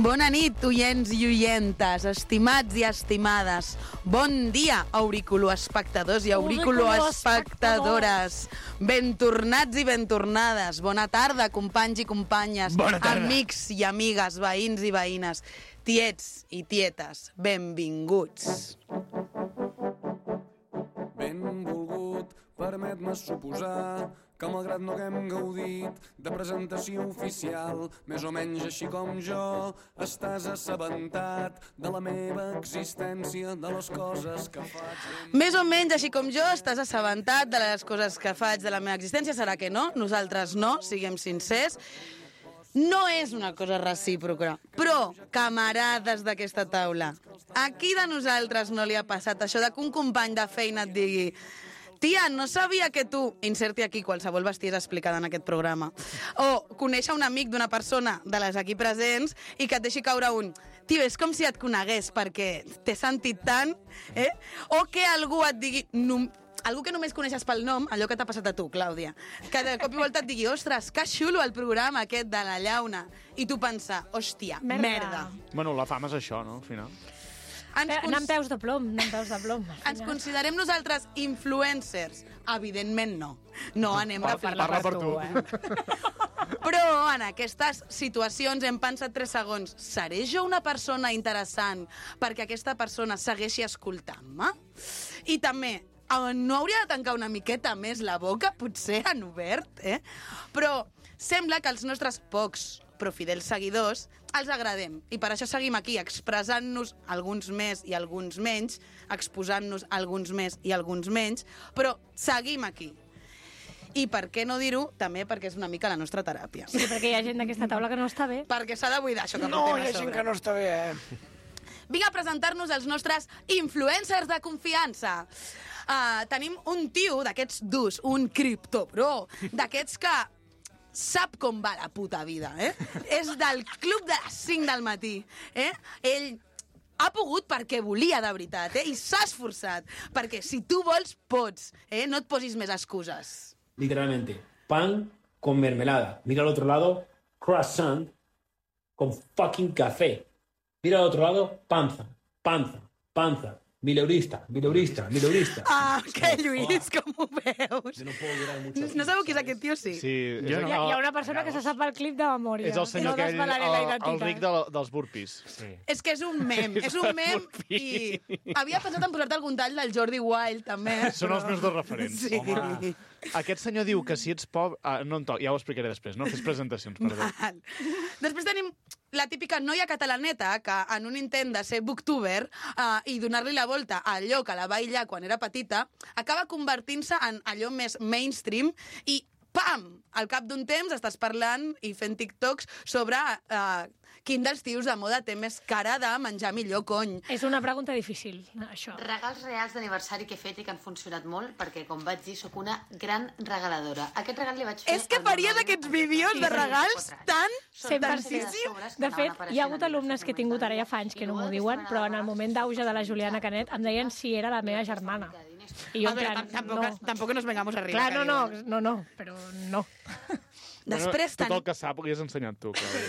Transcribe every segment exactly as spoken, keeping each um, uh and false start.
Bona nit, oients i oientes, estimats i estimades. Bon dia, auriculoespectadors i auriculoespectadores. Ben tornats i ben tornades. Bona tarda, companys i companyes, amics i amigues, veïns i veïnes, tiets i tietes, benvinguts. Benvolgut, permet-me suposar que malgrat no haguem gaudit de presentació oficial, més o menys així com jo, estàs assabentat de la meva existència, de les coses que faig. Més o menys així com jo, estàs assabentat de les coses que faig de la meva existència. Serà que no? Nosaltres no, siguem sincers. No és una cosa recíproca, però, camarades d'aquesta taula, a qui de nosaltres no li ha passat això de que un company de feina et digui: tia, no sabia que tu... Inserti aquí qualsevol bestiesa explicada en aquest programa. O conèixer un amic d'una persona de les aquí presents i que et deixi caure un... Tio, és com si et conegués perquè t'he sentit tant, eh? O que algú et digui... No, algú que només coneixes pel nom, allò que t'ha passat a tu, Clàudia, que de cop i volta et digui: ostres, que xulo el programa aquest de la llauna. I tu pensar: hòstia, merda. merda. Bueno, la fama és això, no?, al final. Ens cons... Anar amb peus de plom, anar amb peus de plom. Ens considerem nosaltres influencers? Evidentment no. No anem a fer parla per tu. Eh? Però en aquestes situacions hem pensat tres segons: seré jo una persona interessant perquè aquesta persona segueixi escoltant-me? I també, no hauria de tancar una miqueta més la boca, potser en obert, eh? Però sembla que els nostres pocs però fidels seguidors els agradem. I per això seguim aquí, expressant-nos alguns més i alguns menys, exposant-nos alguns més i alguns menys, però seguim aquí. I per què no dir-ho? També perquè és una mica la nostra teràpia. Sí, perquè hi ha gent d'aquesta taula que no està bé. Perquè s'ha de buidar això que no, portem a sobre. No, hi ha gent que no està bé, eh? Vinc a presentar-nos els nostres influencers de confiança. Uh, tenim un tio d'aquests durs, un criptobro, d'aquests que sap com va la puta vida, eh? És del club de les cinc del matí, eh? Ell ha pogut perquè volia de veritat, eh? I s'ha esforçat, perquè si tu vols, pots, eh? No et posis més excuses. Literalmente, pan con mermelada. Mira al otro lado, croissant con fucking café. Mira al otro lado, panza, panza, panza. Mileurista, mileurista, mileurista. Ah, que Lluís, com ho veus? Yo no puedo durar mucho. No sabeu qui és aquest tio, sí? Sí, jo no. Hi, ha, hi ha una persona que se sap el clip de memòria. És el senyor no aquell, el, el ric de, dels burpees. Sí. És que és un mem, és un mem i havia pensat en posar-te algun tall del Jordi Wild, també. Són però... els meus dos referents. Sí. Home. Aquest senyor diu que si ets pobre... Ah, no en to... Ja ho explicaré després, no? Fes presentacions, perdó. Val. Després tenim la típica noia catalaneta que en un intent de ser booktuber uh, i donar-li la volta a allò que la va aïllar quan era petita, acaba convertint-se en allò més mainstream i pam! Al cap d'un temps estàs parlant i fent TikToks sobre uh, quin dels tios de moda té més cara de menjar millor, cony. És una pregunta difícil, això. Regals reals d'aniversari que he fet i que han funcionat molt, perquè, com vaig dir, sóc una gran regaladora. Aquest regal li vaig fer... És que faries aquests vídeos de regals tan... cent per cent. De fet, hi ha hagut alumnes que he tingut ara ja fa anys que no m'ho diuen, però en el moment d'auge de la Juliana Canet em deien si era la meva germana. I jo, a veure, plan, tampoc, no. tampoc nos vengamos arriba. Clar, no, no, no, no, però no. Després bueno, tot el que sap ho has ensenyat tu, Clàudia.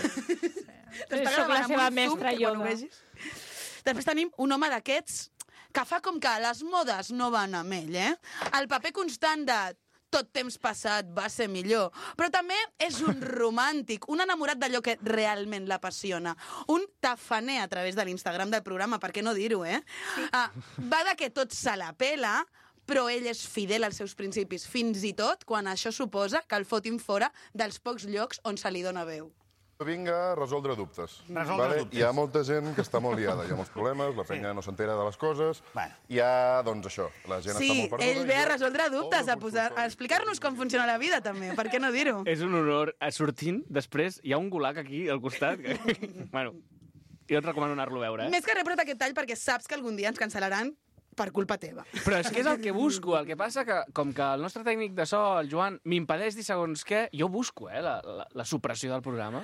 Soc la seva mestra Yoda. Després tenim un home d'aquests que fa com que les modes no van amb ell, eh? El paper constant de tot temps passat va ser millor. Però també és un romàntic, un enamorat d'allò que realment l'apassiona. Un tafaner a través de l'Instagram del programa, per què no dir-ho, eh? Ah, va de que tot se la pela, però ell és fidel als seus principis, fins i tot quan això suposa que el fotin fora dels pocs llocs on se li dona veu. Vinc a resoldre dubtes. Resoldre vale? dubtes. Hi ha molta gent que està molt liada, hi ha molts problemes, la penya sí. no s'entera de les coses. Bueno. Hi ha, doncs, això, la gent sí, està molt perduda. Sí, ell ve a resoldre dubtes, a, posar, a explicar-nos com funciona la vida, també. Per què no dir-ho? És un honor. Sortint, després, hi ha un gulag aquí al costat. Que... bueno, jo et recomano anar-lo a veure, eh? Més que res, però aquest tall perquè saps que algun dia ens cancel·laran per culpa teva. Però és que és el que busco. El que passa que, com que el nostre tècnic de so, el Joan, m'impedeix dir segons què, jo busco, eh, la, la, la supressió del programa.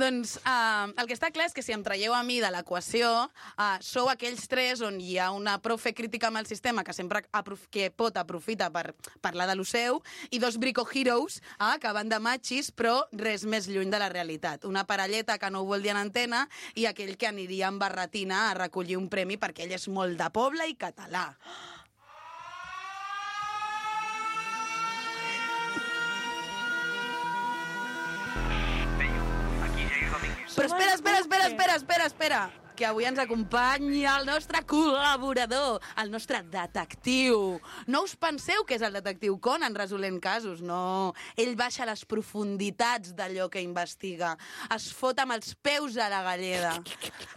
Doncs uh, el que està clar és que si em traieu a mi de l'equació, uh, sou aquells tres on hi ha una prou fer crítica amb el sistema que sempre aprof que pot aprofita per parlar de lo seu, i dos brico heroes uh, que van de machis, però res més lluny de la realitat. Una parelleta que no ho vol dir en antena i aquell que aniria amb barretina a recollir un premi perquè ell és molt de poble i català. Però espera, espera, espera, espera, espera, espera, que avui ens acompanya el nostre col·laborador, el nostre detectiu. No us penseu que és el detectiu Conan resolent casos, no. Ell baixa a les profunditats d'allò que investiga. Es fot amb els peus a la galleda.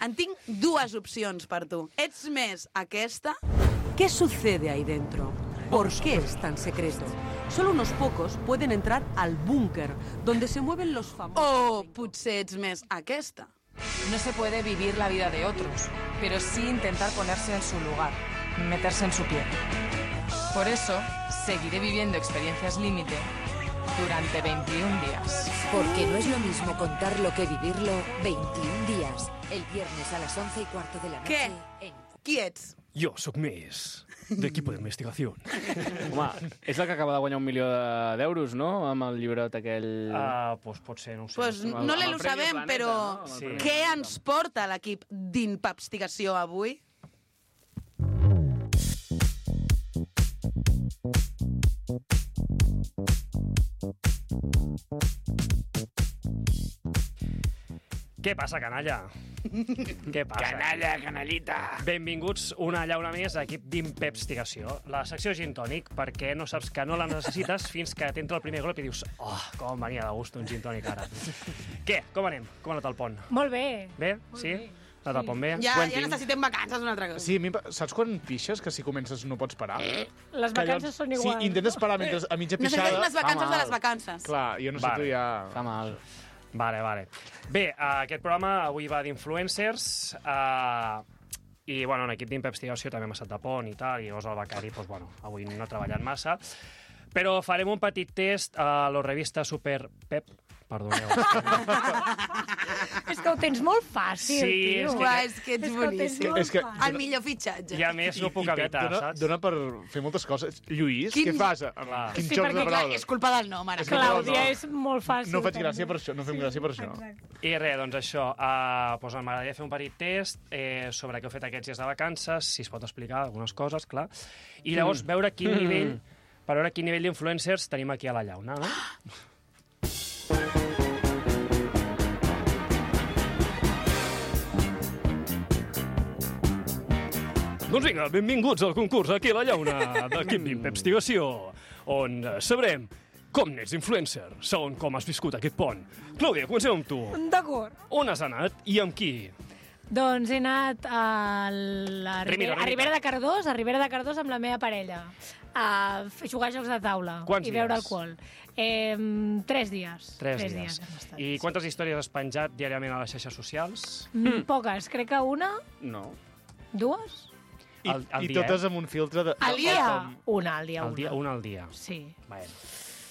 En tinc dues opcions per tu. Ets més aquesta? ¿Qué sucede ahí dentro? ¿Por qué es tan secreto? Solo unos pocos pueden entrar al búnker, donde se mueven los famosos... O potser ets més aquesta. No se puede vivir la vida de otros, pero sí intentar ponerse en su lugar, meterse en su piel. Por eso, seguiré viviendo experiencias límite durante veintiún días. Porque no es lo mismo contarlo que vivirlo. veintiún días, el viernes a las once y cuarto de la noche. Què? En... Qui ets? Jo sóc més d'equipo de investigació. Home, és la que acaba de guanyar un milió d'euros, no? Amb el llibrot aquell... Ah, doncs pot ser, no ho sé. Pues no l'he lo sabem, però Sí. què ens porta l'equip d'Inpapstigació avui? Què passa, canalla? Què passa? Canalla, canallita. Benvinguts una llauna més a l'equip d'Inpepstigació, la secció gin tònic, perquè no saps que no la necessites fins que t'entra el primer glop i dius oh, com em venia de gust un gin tònic ara. Què? Com anem? Com ha anat el pont? Molt bé. Bé? Molt Sí? bé. Ha anat el pont bé? Ja, ja necessitem vacances una altra cosa. Sí, a mi, saps quan pixes que si comences no pots parar? Les Que vacances són iguals. Sí, intentes parar mentre a mitja pixada... Necessites unes vacances de les vacances. Clar, jo no sé Vale. tu ja... Fa mal. Vale, vale. Bé, uh, aquest programa avui va d'influencers uh, i, bueno, en equip d'Investigació també hem estat de pont i tal, i llavors el becari, doncs, bueno, avui no ha treballat massa, però farem un petit test a la revista Super Pep. Perdoneu. És que ho tens molt fàcil, Sí, tio. és que- Uah, és que ets És que ho tens boníssim. molt És que- fàcil. El millor fitxatge. I a més no puc Pep evitar, dona, saps? dona per fer moltes coses. Lluís, Quin- què fas? Clar. Quin Sí, joc perquè de clar, paraules. és culpa del nom, ara. És que Clàudia no, no. és molt fàcil. No faig també. gràcia per això, no fem gràcia per això. Exacte. I res, doncs això, uh, doncs m'agradaria fer un petit test eh, sobre què heu fet aquests dies de vacances, si es pot explicar algunes coses, clar, i llavors veure quin nivell, per veure quin nivell d'influencers tenim aquí a la llauna, no? Doncs vinga, benvinguts al concurs aquí a la llauna d'equip d'Investigació, on eh, sabrem com n'ets influencer, segons com has viscut aquest pont. Clàudia, comencem amb tu. D'acord. On has anat i amb qui? Doncs he anat a la Rimita, Ribera, a rimita. Ribera de Cardós, a Ribera de Cardós amb la meva parella, a f- jugar a jocs de taula Quants i beure dies? alcohol. Eh, tres dies. Tres, dies. hem estat. I quantes històries has penjat diàriament a les xarxes socials? Mm, poques, crec que una, No. dues. I, Al- al i dia, totes eh? amb un filtre de... Al dia, una, al dia, Al una. dia, una al dia. Sí. Bueno.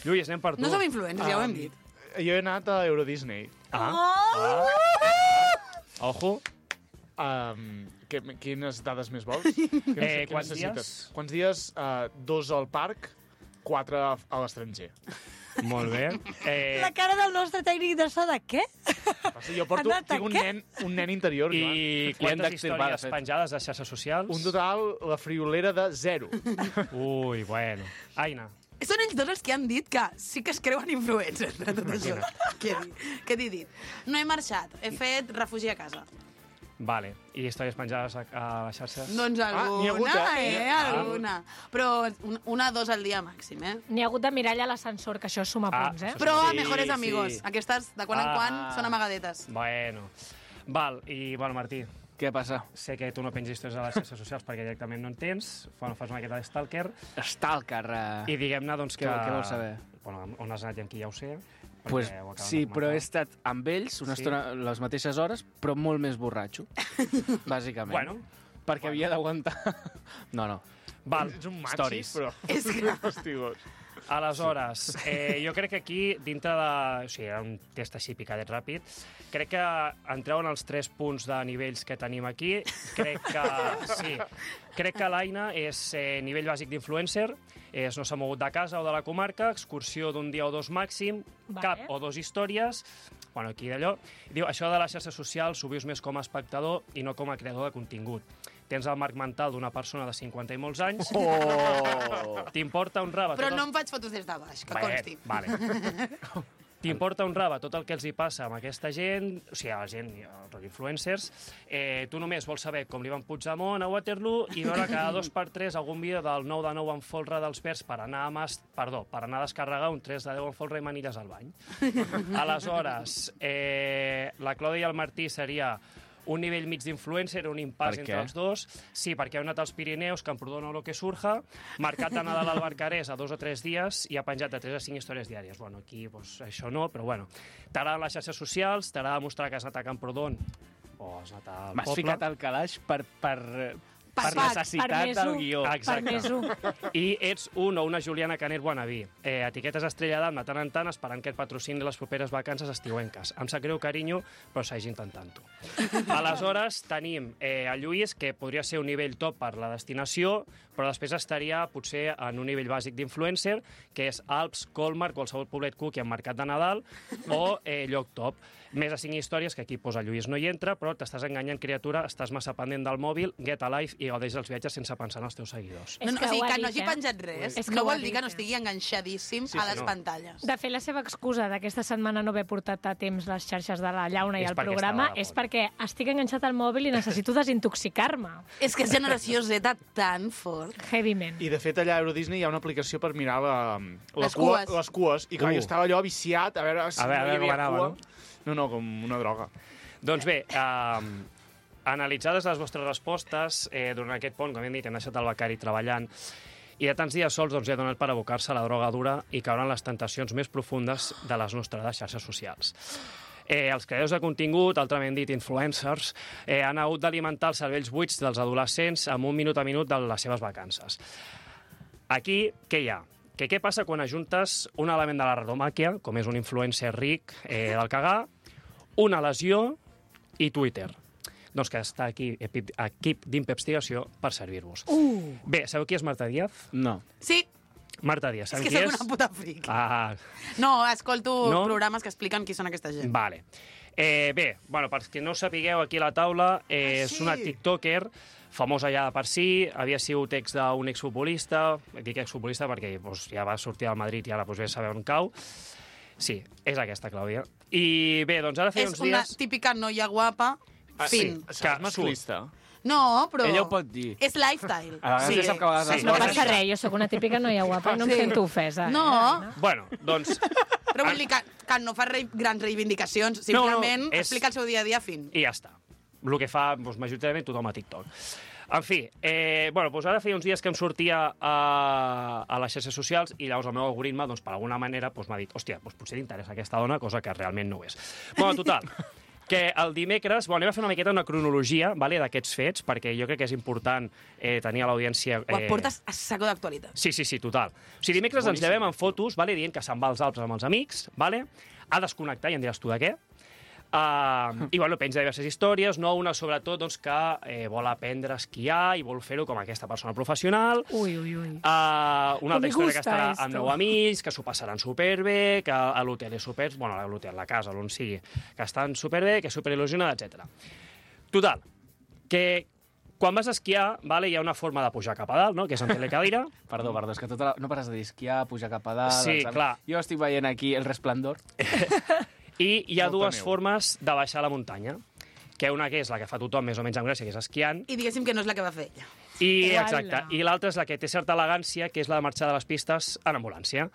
Lluís, anem per tu. No som influencers, ja ho hem Um, dit. Jo he anat a Euro Disney. Ah, ojo. Um, que, quines dades més vols? Què Eh, què quants necessites? dies? Quants dies? Uh, dos al parc, quatre a a l'estranger. Molt bé. Eh, La cara del nostre tècnic de so de què? Passa, jo porto, Anat a tinc un què? nen, un nen interior, Joan. I quantes històries penjades a xarxes socials? Un total, la friolera de zero. Ui, bueno. Aina. Són ells dos els que han dit que sí que es creuen influencers de tot això. Què he dit? Què t'he dit? No he marxat, he fet refugi a casa. Vale. I històries penjades a, a les xarxes? Doncs alguna, n'hi ha hagut, eh? eh? Alguna. Però un- una, dos al dia màxim, eh? N'hi ha hagut de mirall a l'ascensor, que això suma Ah, punts, eh? això Però a Sí, mejores sí. amigos. Aquestes, de quan en Ah. quan, són amagadetes. Bueno. Val, i bueno, Martí, Què passa? sé que tu no penges històries a les xarxes socials perquè directament no en tens, bueno, fas una miqueta de stalker, Stalker. Uh... i diguem-ne, doncs, Què- que... què vols saber? Bueno, on has anat i amb qui ja ho sé. perquè Pues, ho acaben sí, de però he comentar. estat amb ells una Sí? estona, les mateixes hores, però molt més borratxo, bàsicament. Bueno. Perquè havia d'aguantar... No, no. Val. Ets un maxi, Stories. però... És que- Fastigós. Aleshores, eh, jo crec que aquí, dintre de... O sigui, era un test així picadet ràpid. Crec que entreu en els tres punts de nivells que tenim aquí. Crec que... Sí. Crec que l'Aina és eh, nivell bàsic d'influencer, és no s'ha mogut de casa o de la comarca, excursió d'un dia o dos màxim, Vale. cap o dos històries, bueno, aquí d'allò. Diu, això de les xarxes socials ho vius més com a espectador i no com a creador de contingut. Tens el marc mental d'una persona de cinquanta i molts anys. Oh! T'importa un rave... Però tot el... no em faig fotos des de baix, que Bé, consti. Vale. T'importa un rave tot el que els hi passa amb aquesta gent, o sigui, a la gent, els influencers, eh, tu només vols saber com li van Puigdemont a Waterloo i veure cada dos per tres algun vídeo del nou de nou en folre dels Verds per anar a, mas... Perdó, per anar a descarregar un tres de deu en folre i manilles al bany. Aleshores, eh, la Clàudia i el Martí seria un nivell mig d'influencer, un impàs entre els dos. Sí, perquè heu anat als Pirineus, Camprodon o lo que surja, marcat de Nadal al Barcarès a dos o tres dies i ha penjat de tres a cinc històries diàries. Bueno, aquí pues, això no, però bueno. T'agraden les xarxes socials, t'agrada demostrar que has anat a Camprodon o has anat al M'has poble. ficat al calaix per, per, per Per necessitat del guió. Exacte. I ets un o una Juliana Canet wannabe. Eh, etiquetes Estrella d'Am de tant en tant esperant que et patrocini les properes vacances estiuenques. Em sap greu, carinyo, però segueix intentant-ho. Aleshores, tenim eh, el Lluís, que podria ser un nivell top per la destinació, però després estaria potser en un nivell bàsic d'influencer, que és Alps, Colmar, qualsevol poblet cuc i en mercat de Nadal, o eh, lloc top. Més de cinc històries, que aquí posa Lluís no hi entra, però t'estàs enganyant, criatura, estàs massa pendent del mòbil, get a life i gaudeix dels viatges sense pensar en els teus seguidors. No, no, o sigui, que no hagi eh? penjat res És que no ho ha vol dir dit, que no estigui enganxadíssim Sí, a sí, les no. pantalles. De fet, la seva excusa d'aquesta setmana no haver portat a temps les xarxes de la llauna i És el perquè programa estava de és perquè estic enganxat al mòbil i necessito desintoxicar-me. És que és generació Z tan fort. Heavyment. I, de fet, allà a Euro Disney hi ha una aplicació per mirar la, la Les cua, cues. les cues. I clar, Uh. jo estava allò viciat a veure si A veure, a no hi veure com havia anava, cua. No, no, com una droga. Doncs bé, eh, analitzades les vostres respostes, eh, durant aquest pont, com hem dit, hem deixat el becari treballant, i de tants dies sols doncs, ja ha donat per abocar-se a la droga dura i caure en les tentacions més profundes de les nostres xarxes socials. Eh, els creadors de contingut, altrament dit influencers, eh, han hagut d'alimentar els cervells buits dels adolescents amb un minut a minut de les seves vacances. Aquí, què hi ha? Que què passa quan ajuntes un element de la radomàquia, com és un influencer ric eh, del cagar, una lesió i Twitter? Doncs que està aquí equip, equip d'investigació per servir-vos. Uh. Bé, sabeu qui és Marta Díaz? No. Sí, Marta Díaz, és sabeu que qui soc és? una puta fric. Ah, No, escolto No? programes que expliquen qui són aquesta gent. vale. Eh, bé, bueno, per qui no ho sapigueu, aquí a la taula, eh, Ah, és sí? una tiktoker famosa ja per si, havia sigut ex d'un exfutbolista, dic exfutbolista perquè doncs, ja va sortir al Madrid i ara doncs, bé saber on cau. Sí, és aquesta, Clàudia. I bé, doncs ara feia És uns una dies... típica noia guapa, Ah, fin. sí, seràs masclista. No, però... Ella ho pot dir. És lifestyle. A vegades Sí, ja sap que a vegades sí. les No coses- passa res, jo sóc una típica noia guapa i no em Sí. sento ofesa. No, Bueno, doncs... però vull dir que, que no fa re, grans reivindicacions, simplement No, no, és- explica el seu dia a dia fin. I ja està. El que fa doncs, majoritàriament tothom a TikTok. En fi, eh, bueno, doncs ara feia uns dies que em sortia a, a les xarxes socials i llavors el meu algoritme, doncs, per alguna manera, doncs, m'ha dit hòstia, doncs, potser t'interessa aquesta dona, cosa que realment no ho és. Bueno, total, que el dimecres... Bueno, anem a fer una miqueta una cronologia vale, d'aquests fets, perquè jo crec que és important eh, tenir a l'audiència... Ho Eh, portes a saco d'actualitat. Sí, sí, sí, total. O sigui, dimecres ens llevem amb fotos, vale, dient que se'n va als Alps amb els amics, vale? Ha desconnectat, i em diràs tu de què. Uh, I, bueno, penja diverses històries, no? Una, sobretot, doncs, que eh, vol aprendre a esquiar i vol fer-ho com aquesta persona professional. Ui, ui, ui. Uh, una altra Me història que gusta estarà esto. amb nou amics, que s'ho passaran superbé, que a l'hotel és super... Bueno, a l'hotel, la casa, on sigui, que estan superbé, que és superil·lusionada, etcètera. Total, que quan vas a esquiar, vale, hi ha una forma de pujar cap a dalt, no? Que és en telecadira. Perdó, perdó, és que tota la... no pares de dir esquiar, pujar cap a dalt... Sí, els- clar. Jo estic veient aquí El Resplendor. I hi ha Molta dues neu. formes de baixar la muntanya, que una que és la que fa tothom més o menys amb gràcia, que és esquiant, I diguéssim que no és la que va fer ella. i, Uala. exacte, i l'altra és la que té certa elegància, que és la de marxar de les pistes en ambulància.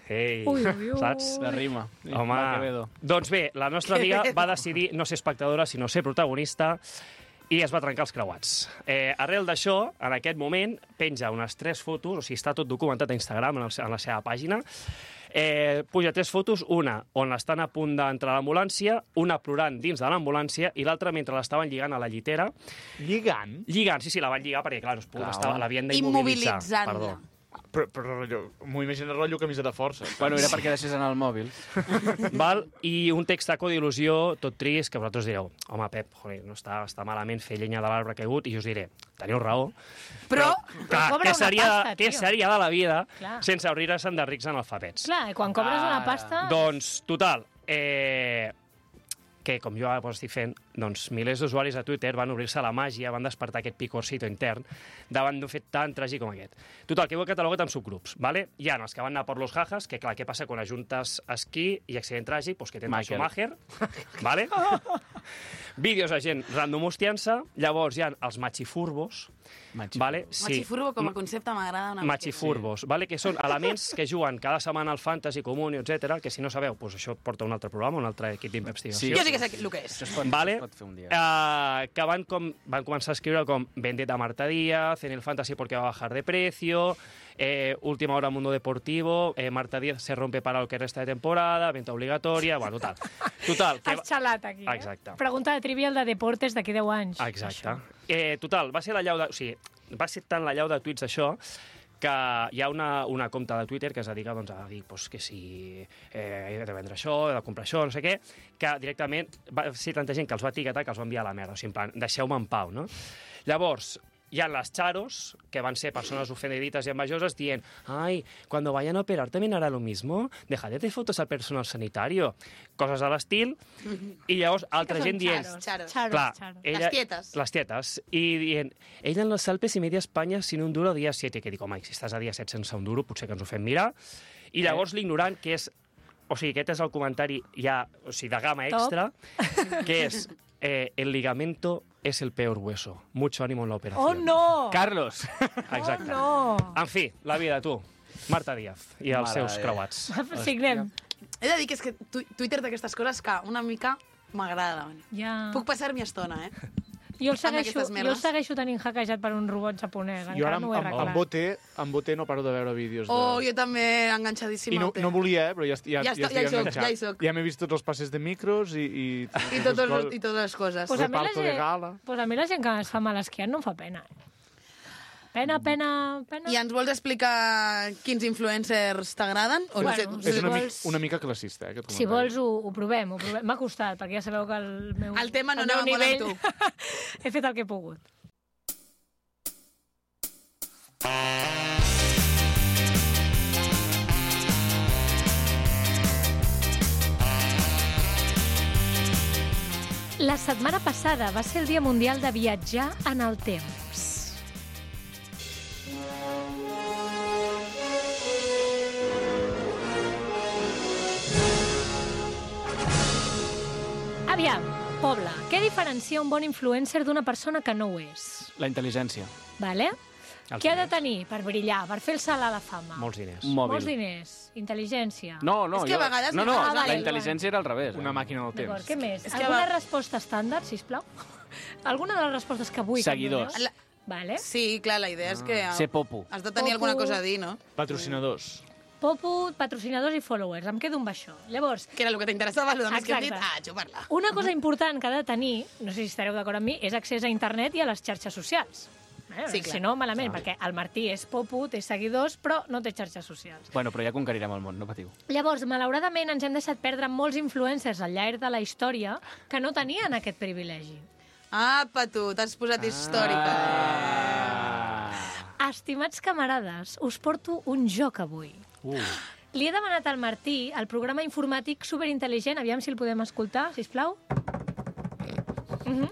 Ei, Ui, ui, ui. saps? La rima. Home, Va, Quevedo. doncs bé, la nostra amiga va decidir no ser espectadora, sinó ser protagonista, i es va trencar els creuats. Eh, arrel d'això, en aquest moment, penja unes tres fotos, o sigui, està tot documentat a Instagram, en, el, en la seva pàgina, eh, puja tres fotos, una on estan a punt d'entrar a l'ambulància, una plorant dins de l'ambulància i l'altra mentre l'estaven lligant a la llitera. Lligant? Lligant, sí, sí, la van lligar perquè, clar, no es podia, Clar. estava, l'havien d'immobilitzar. Immobilitzant-la. Perdó. Però, però m'ho imagino rotllo camisa de força. Bueno, era perquè deixés anar el mòbil. Val? I un textaco d'il·lusió, tot trist, que vosaltres direu, home, Pep, joder, no està, està malament fer llenya de l'arbre caigut, i jo us diré, teniu raó. Però, clar, cobra què una seria, pasta, què tio. seria de la vida Clar. sense obrir-se'n de rics analfabets? Clar, i quan cobres una pasta... Doncs, total, eh, que com jo ara estic fent, doncs milers d'usuaris a Twitter van obrir-se a la màgia, van despertar aquest picorcito intern davant d'un fet tan tràgic com aquest. Total, que ho he catalogat en subgrups, ¿vale? Hi ha els que van anar per los jajas, que clar, què passa quan ajuntes esquí i accident tràgic? Pues que tens Schumacher, ¿vale? Vídeos de gent random hostiant-se, llavors hi ha els machifurbos, ¿vale? Sí. Machifurbo com a concepte m'agrada una Machifurbos, ¿vale? Que són elements que juguen cada setmana al Fantasy, Comunio, etcètera, que si no sabeu, pues això porta un altre programa, un altre equip d'investigació. Sí. Jo sí que sé el que és. Vale? Uh, que van, com, van començar a escriure com Vendetta Marta Díaz, en el Fantasy porque va a bajar de precio, eh, Última Hora Mundo Deportivo, eh, Marta Díaz se rompe para lo que resta de temporada, venta obligatoria, bueno, total. total que Has xalat aquí, eh? Exacte. Pregunta de trivial de deportes d'aquí deu anys. Exacte. Eh, total, va ser la llau de... O sigui, va ser tant la llau de tuits això que hi ha una, una compte de Twitter que es dedica doncs, a dir pues, que si eh, he de vendre això, he de comprar això, no sé què, que directament va ser tanta gent que els va etiquetar que els va enviar a la merda. O sigui, en plan, deixeu-me en pau, no? Llavors, hi ha les charos, que van ser persones ofendidites i envejoses, dient «Ai, cuando vayan a operar también hará lo mismo, dejad de fotos al personal sanitario», coses de l'estil, i llavors altra gent dient... Charos, charos. Clar, charos. ella, Les tietes. Les tietes. I dient, ella en los Alpes i media Espanya sin un duro dia siete. Que dic, home, si estàs a dia set sense un duro, potser que ens ho fem mirar. I llavors l'ignorant, que és... O sigui, aquest és el comentari ja, o sigui, de gamma extra, que és eh, el ligamento es el peor hueso. Mucho ánimo en la operación. Oh, no! Carlos! Exacte. Oh, no! En fi, la vida, tu. Marta Díaz i els Mare seus de- creuats. Signem. He de dir que és que tu Twitter d'aquestes coses que una mica m'agrada. Ja. Puc passar-m'hi estona, eh? Jo el Amb segueixo, aquestes jo el merdes. segueixo tenint hackejat per un robot japonès. Jo ara Encara amb, no ho he amb, amb, arreglat. Boté, amb Boté no paro de veure vídeos de... Oh, jo també enganxadíssima. I no, al tema. no volia, eh, però ja, ja, Ja ja, està- estic ja hi soc, enganxat. ja hi soc. Ja m'he vist tots els passes de micros i... I, I, totes, les- I totes les coses. Pues a, mi la reparto de gent, gala. pues a mi la gent que es fa mal esquiant no em fa pena. Eh? Pena, pena, pena. I ens vols explicar quins influencers t'agraden? O no sé, Bueno, És si una, mi, vols- una mica classista, eh, aquest Si comentari. vols, ho, ho provem. Ho provem. M'ha costat, perquè ja sabeu que el meu... El tema no el meu anava molt amb nivell... He fet el que he pogut. La setmana passada va ser el Dia Mundial de Viatjar en el Temps. Aviam, Pobla, què diferencia un bon influencer d'una persona que no ho és? La intel·ligència. Vale? Els Què ha de diners. tenir per brillar, per fer el salt a la fama? Molts diners. Un mòbil. Molts diners, intel·ligència. No, no, És que a jo... vegades no, no, li Ah, la vale, intel·ligència era al revés. Una màquina del D'acord, temps. què més? És que Alguna va- resposta estàndard, sisplau? Alguna de les respostes que vull Seguidors. que em doneu? Vale. Sí, clar, la idea és que Ser popu. has de tenir Popu. alguna cosa a dir, no? Patrocinadors. Popu, patrocinadors i followers. Em quedo amb això. Llavors, Que era el que t'interessava, el més que hem dit, Exacte. ah, xupar-la. una cosa important que ha de tenir, no sé si estareu d'acord amb mi, és accés a internet i a les xarxes socials. Eh? Sí, clar. Si no, malament, perquè el Martí és popu, té seguidors, però no té xarxes socials. Bueno, però ja conquerirem el món, no patiu. Llavors, malauradament, ens hem deixat perdre molts influencers al llarg de la història que no tenien aquest privilegi. Apa, tu, t'has posat històrica. Ah. Estimats camarades, us porto un joc avui. Uh. Li he demanat al Martí el programa informàtic superintel·ligent, aviam si el podem escoltar, sisplau. Uh -huh.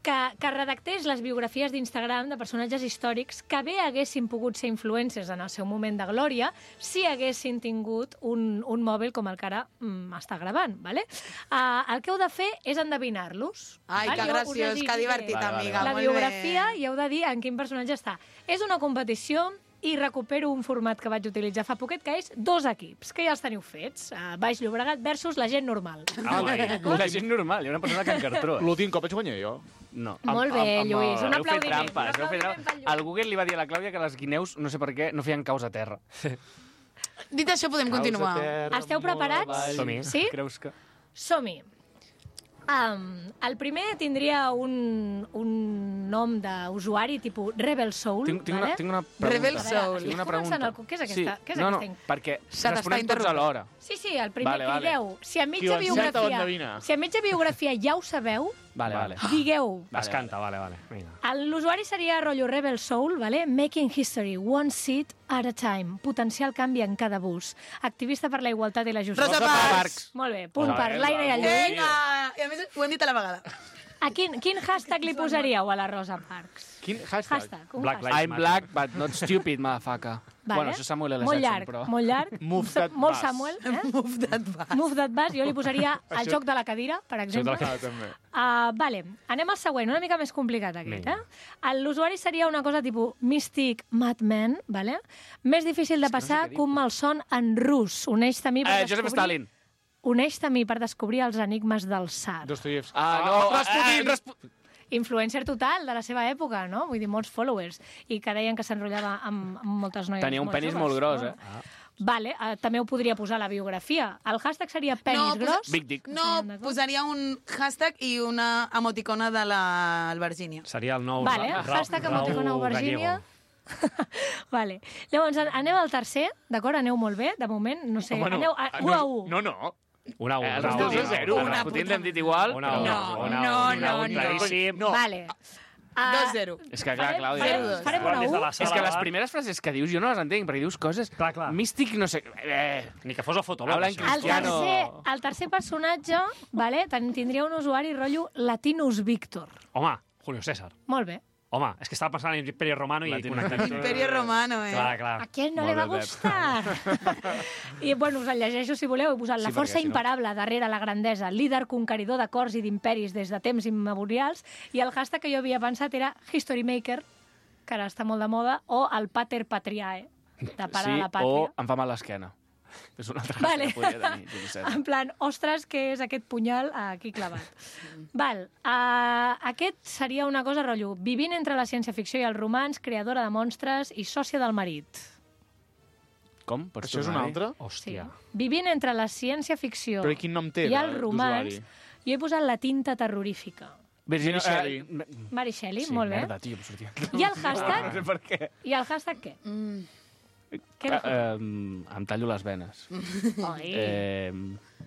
que, que redactés les biografies d'Instagram de personatges històrics que bé haguessin pogut ser influencers en el seu moment de glòria si haguessin tingut un, un mòbil com el que ara mm, està gravant. Vale? Uh, el que heu de fer és endevinar-los. Ai, val? que Jo us graciós, desitjo que divertit, Vale, vale, amiga. vale. la molt biografia bé. i heu de dir en quin personatge està. És una competició i recupero un format que vaig utilitzar fa poquet, que és dos equips, que ja els teniu fets. Uh, Baix Llobregat versus la gent normal. Ah, la gent normal, hi ha una persona que en cartró. L'últim cop vaig guanyar jo. No. Molt bé, Lluís, un Heu fet aplaudiment. trampes, un heu fet aplaudiment trampes. pel Lluís. El Google li va dir a la Clàudia que les guineus, no sé per què, no feien caus a terra. Dit això, podem continuar. Esteu preparats? Som-hi. Sí? Creus que... Som-hi. Um, el primer tindria un, un nom d'usuari tipus Rebel Soul. Tinc, tinc, vale? una, tinc una pregunta. Rebel Soul. Tinc una pregunta. El... Què és aquesta? Sí. Què és no, no, aquesta? perquè S'ha d'estar responem tots interrompent. alhora. Sí, sí, el primer Vale, vale. crideu. Si a Qui mitja ho encerta o biografia, endevina? si a mitja biografia ja ho sabeu, Vale, vale. digueu. Es canta, vale, vale. Vinga. L'usuari seria rotllo Rebel Soul, vale? Making history, one seat at a time. Potencial canvi en cada bus. Activista per la igualtat i la justícia. Rosa Parks. Molt bé, punt Rosa per Parks. l'Aina i el Lluís. Vinga! I a més ho hem dit a la vegada. A quin, quin hashtag li posaríeu a la Rosa Parks? Quin hashtag? Hashtag, un Black hashtag. Lives I'm Matter. black, but not stupid, motherfucker. Vale. Bueno, això és Samuel L. Molt Jackson, llarg, però... molt llarg. Move that Molt bus. Samuel, eh? Move that bus. Move that bus. Jo li posaria el Això- joc de la cadira, per exemple. Ah, també. Uh, vale, anem al següent, una mica més complicat aquest, Vinga. eh? L'usuari seria una cosa tipus Mystic Madman, vale? Més difícil de passar que un malson en rus. Uneix-te a mi per Eh, Joseph descobrir... Stalin. Uneix-te a mi per descobrir els enigmes del Tsar. Dostoyevsky. Ah, no, Rasputin! eh, Rasputin. Influencer total de la seva època, no? Vull dir, molts followers. I que deien que s'enrotllava amb, amb moltes noies Tenia un molt penis joves, molt gros, no? eh? Vale, uh, també ho podria posar a la biografia. El hashtag seria penis No, posa- gros. Big dick. No, posaria un hashtag i una emoticona de la Virgínia. Seria el nou... Vale, Ra- hashtag Raúl emoticona Virgínia. Vale. Llavors, anem al tercer, d'acord? Aneu molt bé, de moment. No sé, Home, no. aneu a, Ah, u a u. No, no. Una a Eh, una. els una a dos una, a zero. una a El una. Rasputin l'hem dit igual. Una a però- una, No, una a no, una, no, una, no. claríssim. No. Vale. Uh, dos zero. És que, clar, farem, Clàudia... farem, zero dos. farem una Des de u. la És que sala les de- primeres frases que dius jo no les entenc, perquè dius coses... Clar, clar. Místic, no sé... Eh, Ni que fos el fotolog, Habla en això. El cristiano. tercer, el tercer personatge, vale, ten- tindria un usuari rotllo Latinus Victor. Home, Julio César. molt bé. Home, és que estava pensant en l'Imperi Romano i Latinus connectat. Imperio Romano, eh? Clar, clar. A qui no Molt li va bé, Pep. gustar? I, bueno, us el llegeixo si voleu. He posat Sí, la força perquè si no- imparable darrere la grandesa, líder conqueridor de cors i d'imperis des de temps immemorials, i el hashtag que jo havia pensat era History Maker, que ara està molt de moda, o el Pater Patriae, de pare sí, de la o pàtria. em fa mal l'esquena. És una altra Vale. cosa que podria tenir. Juli César. En plan, ostres, què és aquest punyal aquí clavat. Val, uh, aquest seria una cosa, rotllo, vivint entre la ciència-ficció i el romanç, creadora de monstres i sòcia del marit. Com? Pots Això és un tornar-hi? altre? Sí. Hòstia. Vivint entre la ciència-ficció Però quin nom té, i el de- romanç, d'usuari? jo he posat la tinta terrorífica. Virginia Mira, Shelley. eh, Mary Shelley, Sí, molt bé. merda, tio, em sortia. I el hashtag? No sé per què. I el hashtag què? Mm. Què era? Eh, em, em tallo les venes. Oi. Eh,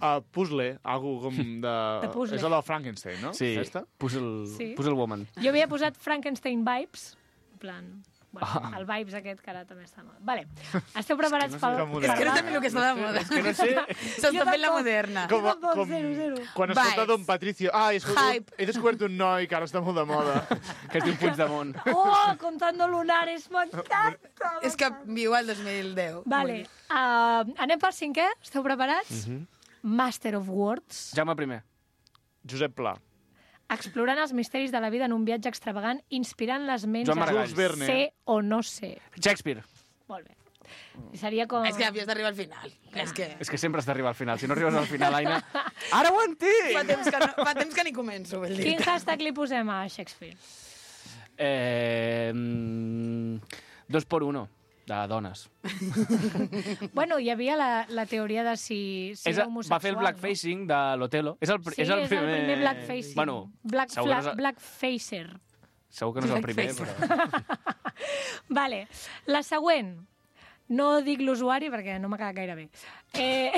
Uh, puzzle, algú com de... De puzzle. És el del Frankenstein, no? sí, Aquesta? Puzzle, Sí. Puzzle Woman. Jo havia posat Frankenstein Vibes, en plan... Bueno, Ah. el Vibes aquest, que ara també està mal. Vale. Esteu preparats no sé pel... com És que no moderna. també el que està de moda. És que no sé... S'està fent la moderna. Com, Jo tampoc, com zero, zero. quan Vibes. escolta Don Patricio. Ah, he, escoltat, Hype. he descobert un noi que ara està molt de moda. Que es diu Puigdemont. Oh, contando lunares, m'encanta! És que viu al dos mil deu. Vale, uh, anem per cinquè? Esteu preparats? Mhm. Master of Words. Jaume primer. Josep Pla. Explorant els misteris de la vida en un viatge extravagant, inspirant les ments Joan a Maragall. Jules Verne. ser o no ser. Shakespeare. Molt bé. I seria com... És que havies d'arribar al final. És que... És que sempre has d'arribar al final. Si no arribes al final, Aina... Ara ho entenc! Fa temps que, no, fa temps que ni començo, vol dir. Quin hashtag li posem a Shakespeare? Eh, mm, dos por uno, de dones. Bueno, hi havia la, la teoria de si, si És, era el- homosexual. va fer el blackfacing de l'Otelo. És el, No? pri- Sí, és el primer... primer blackfacing. Bueno, Black, segur que no fla, és, blackfacer. segur que no és el primer, Blackfacer. però... Vale, la següent. No dic l'usuari perquè no m'ha quedat gaire bé. Eh,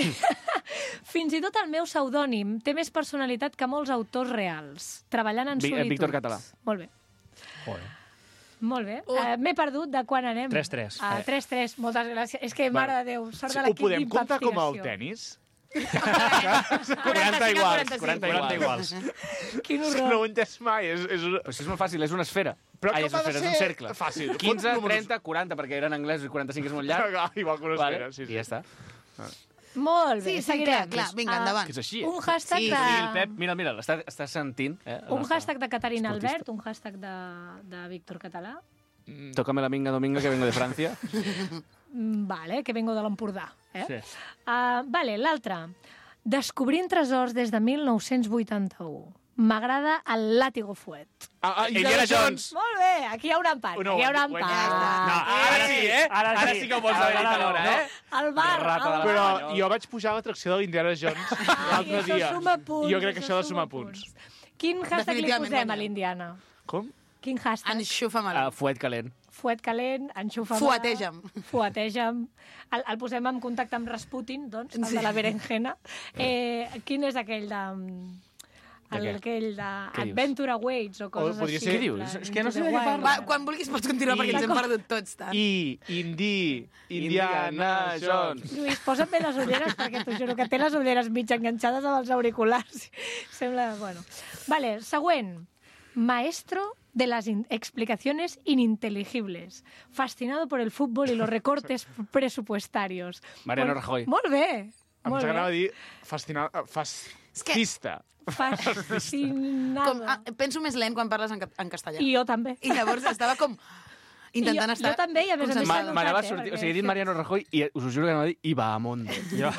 fins i tot el meu pseudònim té més personalitat que molts autors reals, treballant en Vi- eh, solitud. Víctor Català. Molt bé. Joder. Molt bé. Uh, M'he perdut de quan anem. tres tres. Uh, tres tres, moltes gràcies. És que, mare de Déu, sort Sí, de ho l'equip podem comptar com el d'investigació. tenis? quaranta iguals, quaranta quaranta iguals. iguals. Quin És que horror. no ho he entès mai. És, és una... Però si és molt fàcil, és una esfera. Però Ai, com és una ha de esfera, és un ser cercle. fàcil? quinze, Fots números. trenta, quaranta, perquè eren anglesos i quaranta-cinc és molt llarg. Igual que una Vale, esfera, sí, sí. I ja està. Molt bé, Sí, sí, seguirem. clar, clar. Vinga, Ah, endavant. Que és així, eh? Un hashtag Sí, de... I el Pep, mira, mira, l'està està sentint. Eh, el Un nostre hashtag de Caterina esportista. Albert, un hashtag de, de Víctor Català. Tócame la minga dominga que vengo de Francia. Mm, Vale, que vengo de l'Empordà. Eh? Sí. Uh, vale, l'altre. Descobrint tresors des de mil nou-cents vuitanta-u. m'agrada el Látigo Fuet. Ah, ah, Indiana Jones. Molt bé, aquí hi ha un empat. No, aquí hi ha un bueno, empat. no, ara sí, eh? Ara sí que ho vols haver dit alhora, eh? El bar, el bar. Però jo vaig pujar a l'atracció de l'Indiana Jones l'altre això dia. suma punts, I jo crec que això això ha de suma sumar punts. Quin hashtag li Definitivament posem guanya. a l'Indiana? Com? Quin hashtag? Enxufa-me'l. Uh, fuet calent. Fuet calent, enxufa-me... Fueteja'm. Fueteja'm. El, el posem en contacte amb Rasputin, doncs, el Sí. de la berenjena. Eh, quin és aquell de... De El, què? aquell de Què dius? Adventure Awaits o coses podria així. ser- Què dius? en plan, És que no sé Into de the què Wild. Va, quan vulguis pots continuar, perquè ens hem perdut tots tant. I, Indi, Indiana Jones. Lluís, posa't bé les ulleres, perquè t'ho juro que té les ulleres mig enganxades amb els auriculars. Sembla... Bueno. Vale, següent. Maestro de las in- explicaciones ininteligibles. Fascinado por el fútbol y los recortes presupuestarios. Mariano Molt- Rajoy. Molt bé. Em Molt s'anava a bé. dir fascinat... Fascista. Fascinado. Com, ah, penso més lent quan parles en, ca- en castellà. I jo també. I llavors estava com intentant I jo, estar jo també, i a més a més concentrada. s'ha Ma- M'anava a notat, eh, sortir... O perquè- sigui, he dit Mariano Rajoy i us ho juro que anava a dir Ibahamonde. Jo...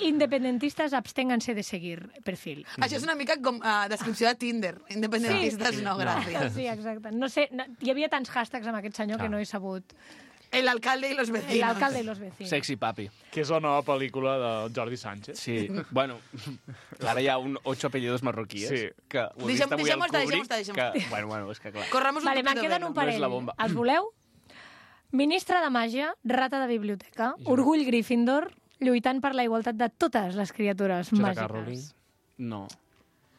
Independentistas absténganse de seguir perfil. Això és una mica com uh, descripció de Tinder. Independentistes, no, gràcies. Sí, exacte. No sé, no, hi havia tants hashtags amb aquest senyor que no he sabut. El alcalde y los El vecinos. alcalde y los vecinos. Sexy papi. Que és la nova pel·lícula de Jordi Sánchez. Sí, bueno, ara hi ha un ocho apellidos marroquíes. Sí. Que ho he Deixem- vist avui al deixem-ho estar, Kubrick, deixem-ho estar, deixem-ho que, bueno, bueno, és que clar. Corramos un Vale, me'n tupido queden velo. un parell. No és la bomba. Els voleu? Ministre de Màgia, rata de biblioteca, orgull Gryffindor, lluitant per la igualtat de totes les criatures J K. Rowling. màgiques. No.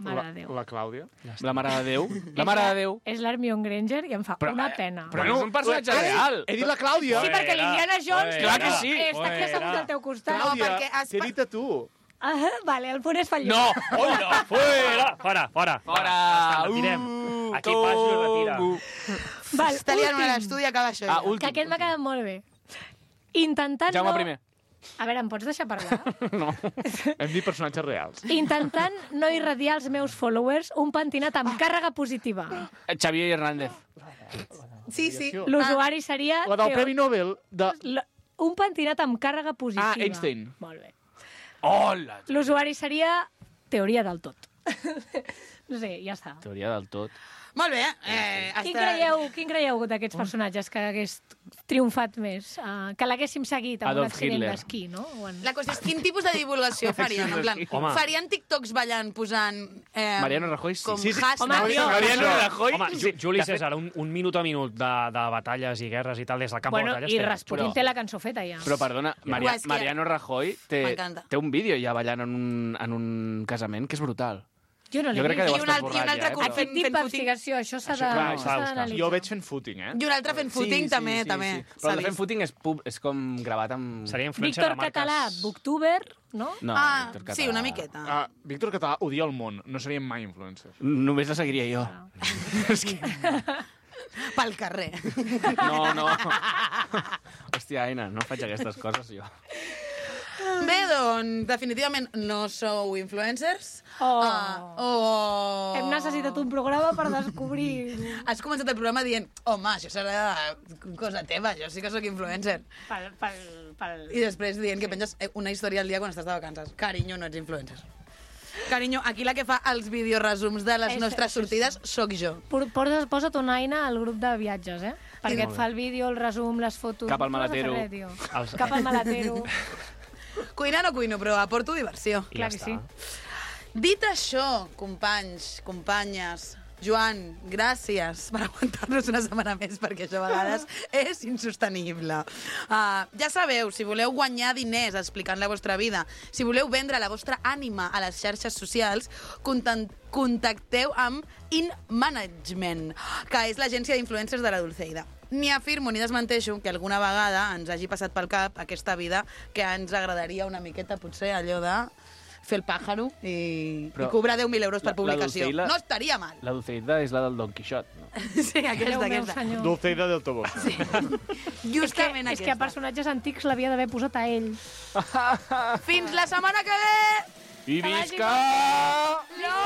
Mare La, de Déu. la Clàudia. La mare de Déu. La mare de Déu. És l'Hermione Granger i em fa Però, una eh, pena. Però no és un personatge real. He dit la Clàudia. Sí, perquè l'Indiana Jones Clar que sí. està aquí assegut al teu costat. Clàudia, perquè has- t'he dit a tu. Ah, vale, el punt és fallit. No! Oh, no! Fuera! Fora, fora. Fora! Està, retirem. Uh, Aquí passo i retira. Togo. Val, Està liant una a últim, l'estudi i acaba això. Ah, ja. últim. que aquest m'ha quedat molt bé. Intentant Jaume no... primer. A veure, em pots deixar parlar? No. Hem dit personatges reals. Intentant no irradiar als meus followers un pentinat amb càrrega positiva. Xavier Hernández. Sí, sí. L'usuari seria... La del Teo- Premi Nobel de... L- Un pentinat amb càrrega positiva. Ah, Einstein. Molt bé. Hola! L'usuari seria teoria del tot. No sé, ja està. Teoria del tot. Molt bé. Eh, Quin està... creieu, quin creieu d'aquests personatges que hagués triomfat més? Uh, que l'haguéssim seguit amb Adolf un accident Hitler. d'esquí, no? O en... La qüestió és quin tipus de divulgació farien. En plan, Home. farien TikToks ballant, posant... Eh, Mariano Rajoy, sí. Com Sí, sí. hashtag. Home, tio, Mariano Rajoy. Home, Ju- Juli César, un, un minut a minut de, de batalles i guerres i tal, des del camp Bueno, de batalles. i té- Rasputin però- té la cançó feta ja. Però perdona, Maria, Ué, és que- Mariano Rajoy té, M'encanta. té un vídeo ja ballant en un, en un casament que és brutal. Jo no Jo l'he crec que vist. deu I un estar alt- i un borrat altre ja, eh? cop però- Aquest fent- tipus fent d'investigació, això s'ha Això, de- clar, s'ha s'ha de buscar. d'analitzar. Jo veig fent footing, eh? I un altre fent footing, també, també. Però s'ha el de fent vist. footing és, pub, és com gravat amb... Seria influencer Víctor de marques... Català, booktuber, no? No, Ah, Víctor Català. sí, una miqueta. Ah, Víctor Català odia el món. No serien mai influencers. Només la seguiria jo. És que... Pel carrer. No, no. Hòstia, Aina, no faig aquestes coses jo. Bé, doncs, definitivament no sou influencers. Oh. Ah, oh. Hem necessitat un programa per descobrir... Has començat el programa dient, home, això serà cosa teva, jo sí que sóc influencer. Pel, pel, pel... I després dient que penges una història al dia quan estàs de vacances. Carinyo, no ets influencer. Carinyo, aquí la que fa els videoresums de les És- nostres sí, sí. sortides sóc jo. Por- Posa't, posa't una eina al grup de viatges, eh? Perquè et fa el vídeo, el resum, les fotos... Cap al No has de fer maletero. res, tio. Els- Cap al maletero. Cuinar no cuino, però aporto diversió. I Clar ja que està. sí. Dit això, companys, companyes, Joan, gràcies per aguantar-nos una setmana més, perquè això a vegades és insostenible. Uh, ja sabeu, si voleu guanyar diners explicant la vostra vida, si voleu vendre la vostra ànima a les xarxes socials, content- contacteu amb In Management, que és l'agència d'influencers de la Dulceida. Ni afirmo ni desmenteixo que alguna vegada ens hagi passat pel cap aquesta vida que ens agradaria una miqueta, potser, allò de fer el pàjaro i, Però i cobrar deu mil euros per la- la publicació. Dulceida- No estaria mal. La Dulceida és la del Don Quixot, no? Sí, Déu aquesta, meu, aquesta. senyor. Dulceida del Tobo. Sí. Justament és que, és que a aquesta. personatges antics l'havia d'haver posat a ell. Fins la setmana que ve! I Que vagi visca! No!